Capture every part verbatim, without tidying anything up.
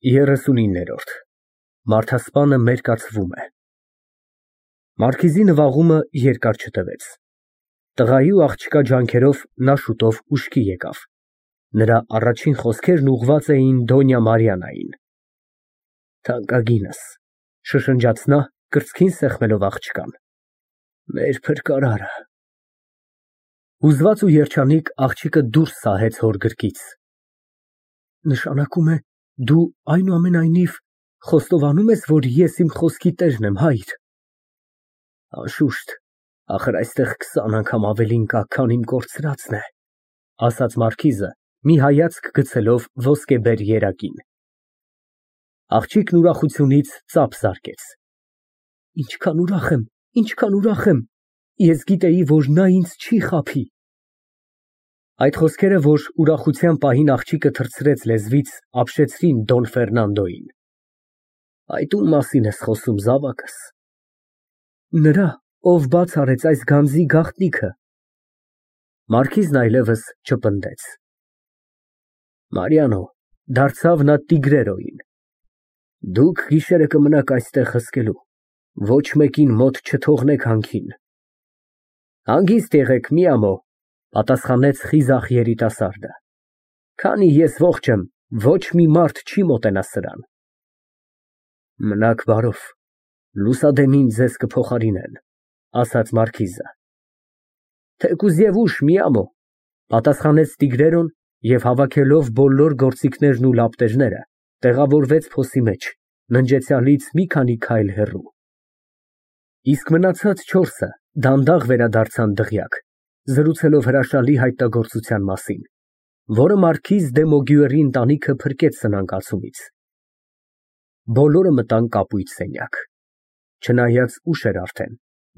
երեսունիններորդ Մարդասպանը մերկացվում է։ Մարքիզի նվաղումը երկար չտևեց։ Տղայի ու աղջկա ջանքերով նա շուտով ուշքի եկավ։ Նրա առաջին խոսքերն ուղղված էին Դոնյա Մարիաննային։ Թանկագինս, շշնջաց նա, կրծքին սեղմելով աղջկան, մեր փրկարարը։ Հուզված ու երջանիկ աղջիկը դուրս սահեց հոր գրկից։ Նշանակում է, դու այնուամենայնիվ խոստովանում ես, որ ես իմ խոսքի տերն եմ, հայր։ Անշուշտ, ախր այստեղ քսան անգամ ավելին կա, քան իմ կորցրածն է, ասաց մարքիզը, մի հայացք գցելով ոսկեբեր երակին։ Աղջիկն ուրախությունից ծափ զարկեց։ Ինչքան ուրախ եմ, ինչքան ուրախ եմ, ես գիտեի, որ նա ինձ չի խաբի։ Այդ խոսքերը, որ ուրախության պահին աղջիկը թռցրեց լեզվից, ապշեցրին Դոն Ֆերնանդոյին։ Այդ ում մասին ես խոսում, զավակս։ Նրա, ով բաց արեց այս գանձի գաղտնիքը։ Մարքիզն այլևս չպնդեց։ Մարիանո, դարձավ նա Տիգրերոյին, դուք գիշերը կմնաք այստեղ հսկելու, ոչ մեկին մոտ չթողնեք հանքին։ Հանգիստ եղեք, մի ամո, պատասխանեց խիզախ երիտասարդը, քանի ես ողջ եմ, ոչ մի մարդ չի մոտենա սրան։ Մնաք բարով, լուսադեմին ձեզ կփոխարինեն, ասաց մարքիզը։ Թեկուզ և ուշ, մի ամո, պատասխանեց Տիգրերոն և հավաքելով բոլոր գործիքներն ու լապտերները, տեղավորվեց փոսի մեջ, ննջեցյալից մի քանի քայլ հեռու։ Իսկ մնացած չորսը դանդաղ վերադարձան դղյակ, զրուցելով հրաշալի հայտնագործության մասին, որը մարքիզ դե Մոգյուերի ընտանիքը փրկեց սնանկացումից։ Բոլորը մտան կապույտ սենյակ։ Չնայած ուշ էր արդեն,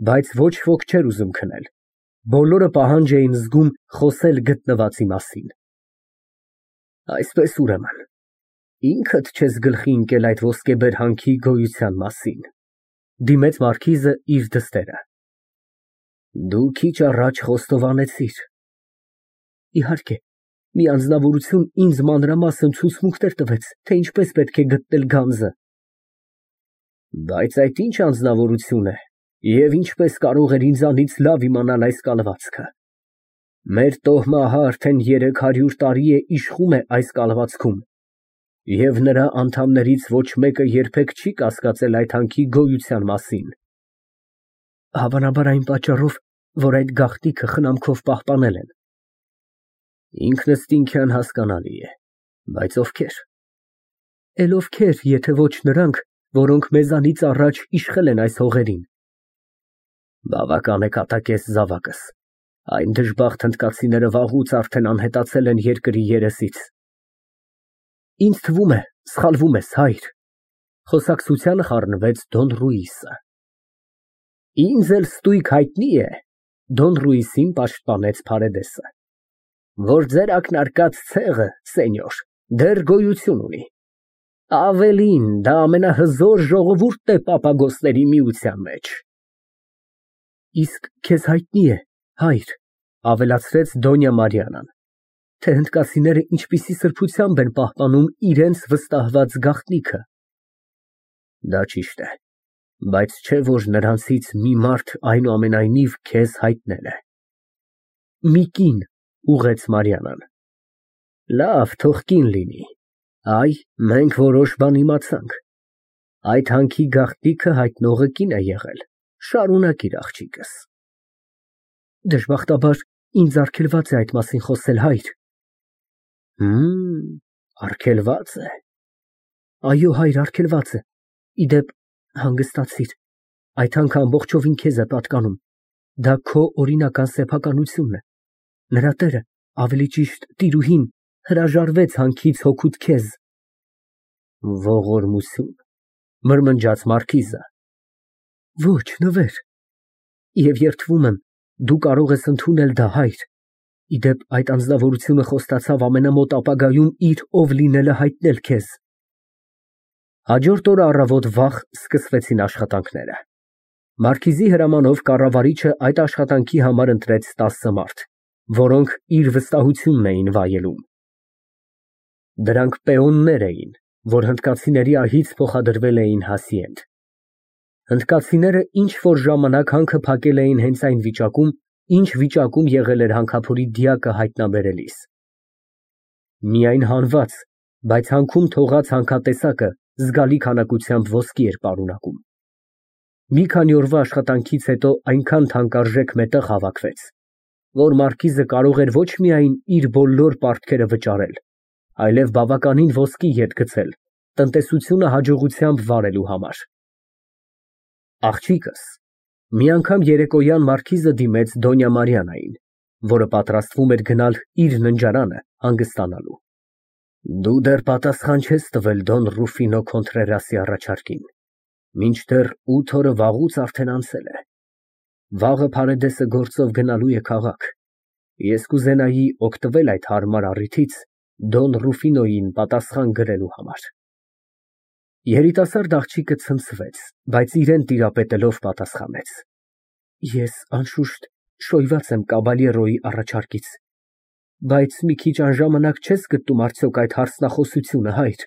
բայց ոչ ոք չէր ուզում քնել։ Բոլորը պահանջ էին զգում խոսել գտնվածի մասին։ Այսպես ուրեմն, ինքդ չես գլխի ընկել այդ ոսկեբեր հանքի գոյության մասին, դիմեց մարքիզը իր դստերը։ Դու քիչ առաջ խոստովանեցիր։ Իհարկե, մի անձնավորություն ինձ մանրամասն ցուցմունքներ տվեց, թե ինչպես պետք է գտնել գանձը։ Բայց այդ ինչ անձնավորություն է և ինչպես կարող էր ինձանից լավ իմանալ այս կալվածքը։ Մեր տոհմահը արդեն երեք հարյուր տարի է իշխում է այս կալվածքում, և նրա անդամներից ոչ մեկը երբեք չի կասկածել այդ հանքի գոյության մասին։ Հավանաբար այն պատճառով, որ այդ գաղտնիքը խնամքով պահպանել են։ Ինքնըստինքյան հասկանալի է, բայց ովքեր։ Էլ ովքեր, եթե ոչ նրանք, որոնք մեզանից առաջ իշխել են այս հողերին։ Բավական է կատակես, զավակս, այն դժբախտ հնդկացիները վաղուց արդեն անհետացել են երկրի երեսից։ Ինձ թվում է, սխալվում ես, հայր, խոսակցությանը խառնվեց Դոն Ռուիսը։ Ինձ էլ ստույգ հայտնի է, Դոն Ռուիսին պաշտպանեց Փարեդեսը, որ ձեր ակնարկած ցեղը, սենյոր, դեռ գոյություն ունի։ Ավելին, դա ամենահզոր ժողովուրդն է Պապագոսների միության մեջ։ Իսկ քեզ հայտնի է, հայր, ավելացրեց Դոնյա Մարիաննան, թե հնդկացիները ինչպիսի սրբությամբ են պահպանում իրենց վստահված գաղտնիքը։ Դա ճիշտ է, բայց չէ որ նրանցից մի մարդ այնուամենայնիվ քեզ հայտնել է։ Մի կին, ուղղեց Մարիաննան։ Լավ, թող կին լինի։ Այ, մենք որոշ բան իմացանք։ Այդ հանքի գաղտնիքը հայտնողը կին է եղել, շարունակիր աղջիկս։ Դժբախտաբար, ինձ արգելված է այդ մասին խոսել, հայր։ Հմ, արգելված է։ Այո, հայր, արգելված է։ Իդեպ, հանգստացիր, այդ հանքը ամբողջովին քեզ է պատկանում, դա քո օրինական սեփականությունն է։ Նրա տերը, ավելի ճիշտ տիրուհին, հրաժարվեց հանքից հօգուտ քեզ։ Ողորմություն, մրմնջաց մարքիզը։ Ոչ, նվեր։ Եվ երդվում եմ, դու կարող ես ընդունել դա, հայր։ Իդեպ, այդ անձնավորությունը խոստացավ ամենամոտ ապագայում իր ով լինելը հայտնել քեզ։ Հաջորդ օրը առավոտ վաղ սկսվեցին աշխատանքները։ Մարքիզի հրամանով կառավարիչը այդ աշխատանքի համար ընտրեց տասը մարդ, որոնք իր վստահությունն էին վայելում։ Դրանք պեոններ էին, որ հնդկացիների ահից փոխադրվել էին Հասիենդ։ Հնդկացիները ինչ֊որ ժամանակ հանքը փակել էին հենց այն վիճակում, ինչ վիճակում եղել էր հանքափորի դիակը հայտնաբերելիս։ Միայն հանված, բայց հանքում թողած հանքատեսակը զգալի քանակությամբ ոսկի էր պարունակում։ Մի քանի օրվա աշխատանքից հետո այնքան թանկարժեք մետաղ հավաքվեց, որ մարքիզը կարող էր ոչ միայն իր բոլոր պարտքերը վճարել, այլև բավականին ոսկի ետ գցել տնտեսությունը հաջողությամբ վարելու համար։ Աղջիկս մի անգամ երեկոյան մարքիզը դիմեց Դոնյա Մարիանային, որը պատրաստվում էր գնալ իր ննջարանը հանգստանալու։ Դու դեռ պատասխան չես տվել Դոն Ռուֆինո Քոնտրերասի առաջարկին, մինչդեռ ութ օրը վաղուց արդեն անցել է։ Վաղը Փարեդեսը գործով գնալու է քաղաք։ Ես կուզենայի օգտվել այդ հարմար առիթից Դոն Ռուֆինոյին պատասխան գրելու համար։ Երիտասարդ աղջիկը ցնցվեց, բայց իրան տիրապետելով պատասխանեց. Ես անշուշտ շոյված եմ Կաբալյերոյի առաջարկից, բայց մի քիչ անժամանակ չես գտնում արդյոք այդ հարցնախոսությունը, հայր,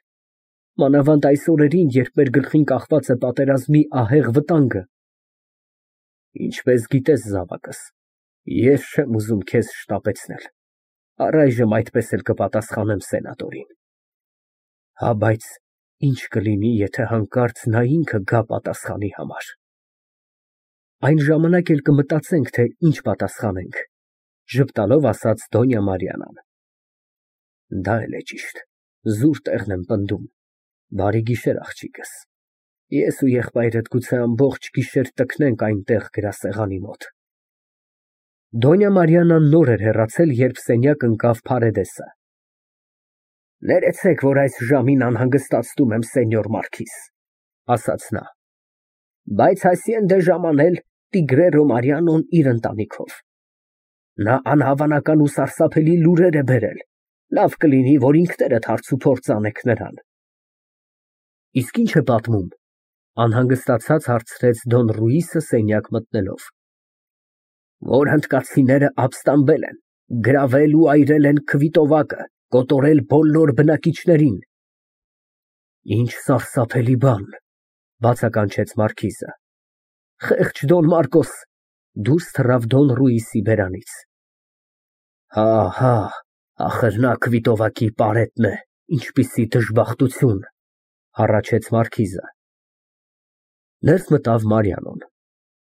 մանավանդ այս օրերին, երբ մեր գլխին կախված է պատերազմի ահեղ վտանգը։ Ինչպես գիտես, զավակս, ես չեմ ուզում քեզ շտապեցնել, առայժմ այդպես էլ կպատասխանեմ սենատորին։ Հա, բայց ինչ կլինի, եթե հանկարծ նա ինքը գա պատասխանի համար։ Այն ժամանակ էլ կմտածենք, թե ինչ պատասխանենք, ժպտալով ասաց Դոնյա Մարիանան։ Դա էլ է ճիշտ, զուր տեղն եմ պնդում, բարի գիշեր, աղջիկս, ես ու եղբայրդ գուցե ամբողջ գիշեր տքնենք այնտեղ գրասեղանի մոտ։ Դոնյա Մարիանան նոր էր հեռացել, երբ սենյակ ընկավ Փարեդեսը։ Ներեցեք, որ այս ժամին անհանգստացնում եմ սենյոր Մարքիզ, ասաց նա, բայց Հասիենդ է ժամանել Տիգրերո Մարիանոն իր ընտանիքով։ Նա անհավանական ու սարսափելի լուրեր է բերել, լավ կլինի, որ ինքներդ հարց ու փորձ անեք նրան։ Իսկ ինչ է պատմում, անհանգստացած հարցրեց Դոն Ռուիսը սենյակ մտնելով։ Որ հնդկացիները ապստամբել են, գրավել ու այրել են Քվիտովակը, կոտորել բոլոր բնակիչներին։ Ինչ սարսափելի բան, բացականչեց մարքիզը։ Խեղճ Դոն Մարկոս, դուրս թռավ Դոն Ռուիսի բերանից։ Հա, հա, ախր նա Քվիտովակի պարետն է, ինչպիսի դժբախտություն, հառաչեց մարքիզը։ Ներս մտավ Մարիանոն։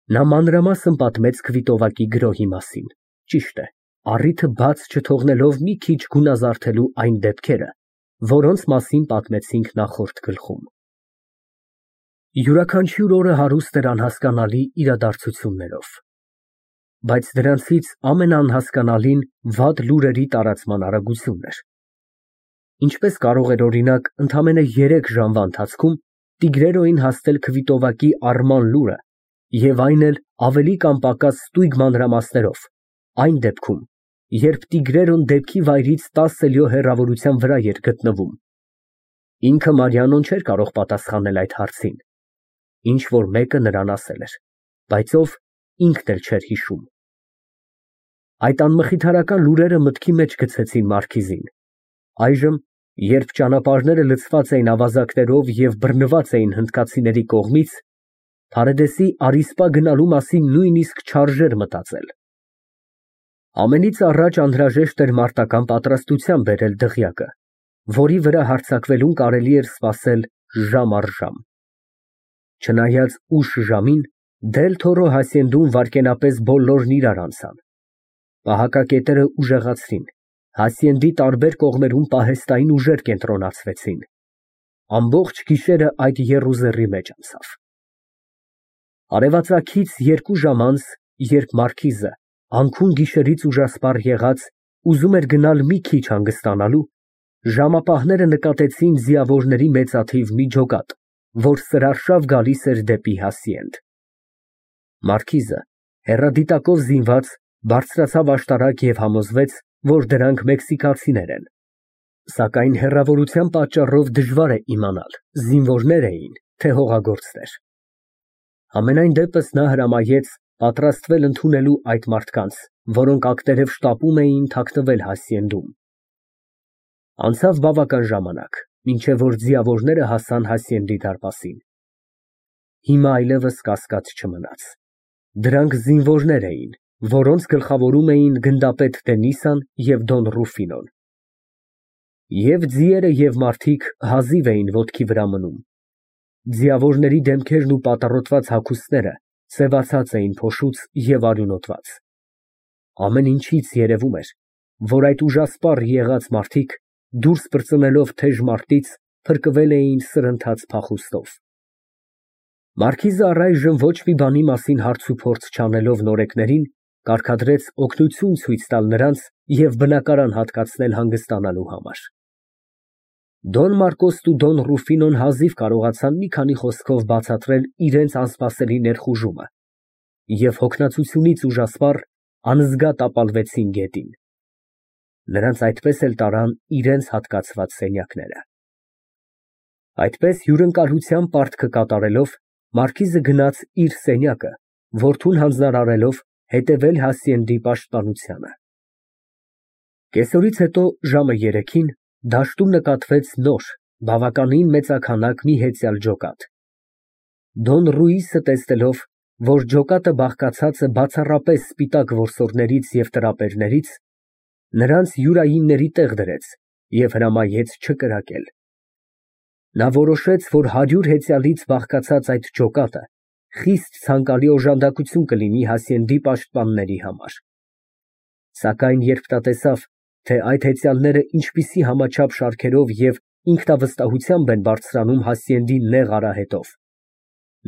Նա մանրամասն պատմեց Քվիտովակի գրոհի մասին, ճիշտ է, առիթը բաց չթողնելով մի քիչ գունազարդելու այն դեպքերը, որոնց մասին պատմեցինք նախորդ գլխում։ Յուրաքանչյուր օրը հարուստ էր անհասկանալի իրադարձություններով, բայց դրանցից ամենաանհասկանալին վատ լուրերի տարածման արագությունն էր։ Ինչպես կարող էր օրինակ ընդամենը երեք ժամվա ընթացքում Տիգրերոյին հասնել Քվիտովակի առման լուրը և այն էլ ավելի կամ պակաս ստույգ մանրամասներով, այն դեպքում, երբ Տիգրերոն դեպքի վայրից տասը լյո հեռավորության վրա էր գտնվում։ Ինքը Մարիանոն չէր կարող պատասխանել այդ հարցին, ինչ որ մեկը նրան ասել էր, բայց ով ինքն էլ չէր հիշում։ Այդ անմխիթարական լուրերը մտքի մեջ գցեցին մարքիզին։ Այժմ, երբ ճանապարհները լցված էին ավազակներով և բռնված էին հնդկացիների կողմից, Փարեդեսի առիսպա գնալու մասին նույնիսկ չարժեր մտածել։ Ամենից առաջ անհրաժեշտ էր մարտական պատրաստության բերել դղյակը, որի վրա հարձակվելուն կարելի էր սպասել ժամ առ ժամ։ Չնայած ուշ ժամին, Դել Թորո Հասիենդում վայրկենապես բոլորն իրար անցան։ Պահակակետերը ուժեղացրին, Հասիենդի տարբեր կողմերում պահեստային ուժեր կենտրոնացվեցին։ Ամբողջ գիշերը այդ եռուզեռի մեջ անցավ։ Արևածագից երկու ժամ անց, երբ մարքիզը, անքուն գիշերից ուժասպառ եղած, ուզում էր գնալ մի քիչ հանգստանալու, ժամապահները նկատեցին ձիավորների մեծաթիվ մի ջոկատ, որ սրարշավ գալիս էր դեպի Հասիենդ։ Մարքիզը, հեռադիտակով զինված, բարձրացավ աշտարակ և համոզվեց, որ դրանք մեքսիկացիներ են։ Սակայն հեռավորության պատճառով դժվար է իմանալ, զինվորներ էին, թե հողագործներ։ Համենայն դեպս նա հրամայեց պատրաստվել ընդունելու այդ մարդկանց, որոնք ակտերև շտապում էին թաքնվել Հասիենդում։ Անցավ բավական ժամանակ, մինչև որ ձիավորները հասան Հասիենդի դարպասին։ Հիմա այլևս կասկած չմնաց. դրանք զինվորներ էին, որոնց գլխավորում էին գնդապետ Տենիսան և Դոն Ռուֆինոն։ Եվ ձիերը և մարդիկ հազիվ էին ոտքի վրա մնում։ Ձիավորների դեմքերն ու պատառոտված հագուստները սևացած էին փոշուց և արյունոտված։ Ամեն ինչից երևում էր, որ այդ ուժասպառ եղած մարդիկ, դուրս պրծնելով թեժ մարտից, փրկվել էին սրընթաց փախուստով։ Մարքիզը առայժմ ոչ մի բանի մասին հարց ու փորձ չանելով նորեկներին, կարգադրեց օգնություն ցույց տալ նրանց և բնակարան հատկացնել հանգստանալու համար։ Դոն Մարկոսն ու Դոն Ռուֆինոն հազիվ կարողացան մի քանի խոսքով բացատրել իրենց անսպասելի ներխուժումը և հոգնածությունից ուժասպառ անզգա տապալվեցին գետին։ Նրանց այդպես էլ տարան իրենց հատկացված սենյակները։ Այդպես հյուրընկալության պարտքը կատարելով, մարքիզը գնաց իր սենյակը, որդուն հանձնարարելով հետևել Հասիենդի պաշտպանությանը։ Կեսօրից հետո ժամը երեքին դաշտում նկատվեց նոր, բավականին մեծաքանակ մի հեծյալ ջոկատ։ Դոն Ռուիսը տեսնելով, որ ջոկատը բաղկացած է բացառապես սպիտակ որսորդներից և տրապերներից, նրանց յուրայինների տեղ դրեց և հրամայեց չկրակել։ Նա որոշեց, որ հարյուր հեծյալից բաղկացած այդ ջոկատը խիստ ցանկալի օժանդակություն կլինի Հասիենդի պաշտպանների համար։ Սակայն երբ նա տեսավ, թե այդ հեծյալները ինչպիսի համաչափ շարքերով և ինքնավստահությամբ են բարձրանում Հասիենդի նեղ արահետով,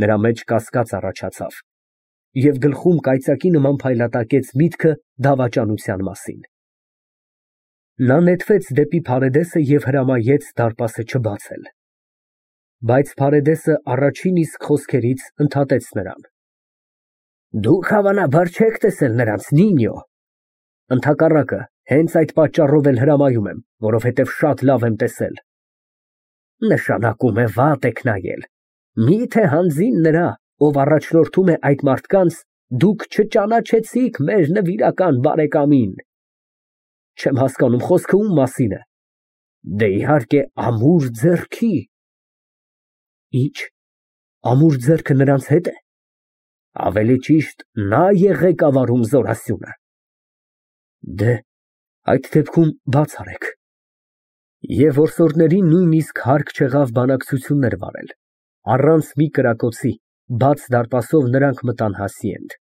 նրա մեջ կասկած առաջացավ, և գլխում կայծակի նման փայլատակեց միտքը դավաճանության մասին։ Նա նետվեց դեպի Փարեդեսը և հրամայեց դարպասը չբացել։ Բայց Փարեդեսը առաջին իսկ խոսքերից ընդհատեց նրան. Դուք հավանաբար չեք տեսել նրանց, Նինյո։ Ընդհակառակը, հենց այդ պատճառով էլ հրամայում եմ, որովհետև շատ լավ եմ տեսել։ Նշանակում է վատ եք նայել։ Մի՞թե հանձին նրա, ով առաջնորդում է այդ մարդկանց, դուք չճանաչեցիք մեր նվիրական բարեկամին։ Չեմ հասկանում, խոսքը ում մասին է։ Դե, իհարկե, ամուր ձեռքի։ Ի՞նչ, ամուր ձեռքը նրանց հետ է։ Ավելի ճիշտ, նա է ղեկավարում զորասյունը։ Դե, այդ դեպքում բաց արեք։ Եվ որսորդներին նույնիսկ հարկ չեղավ բանակցություններ վարել, առանց մի կրակոցի, բաց դարպասով նրանք մտան Հասիենդ։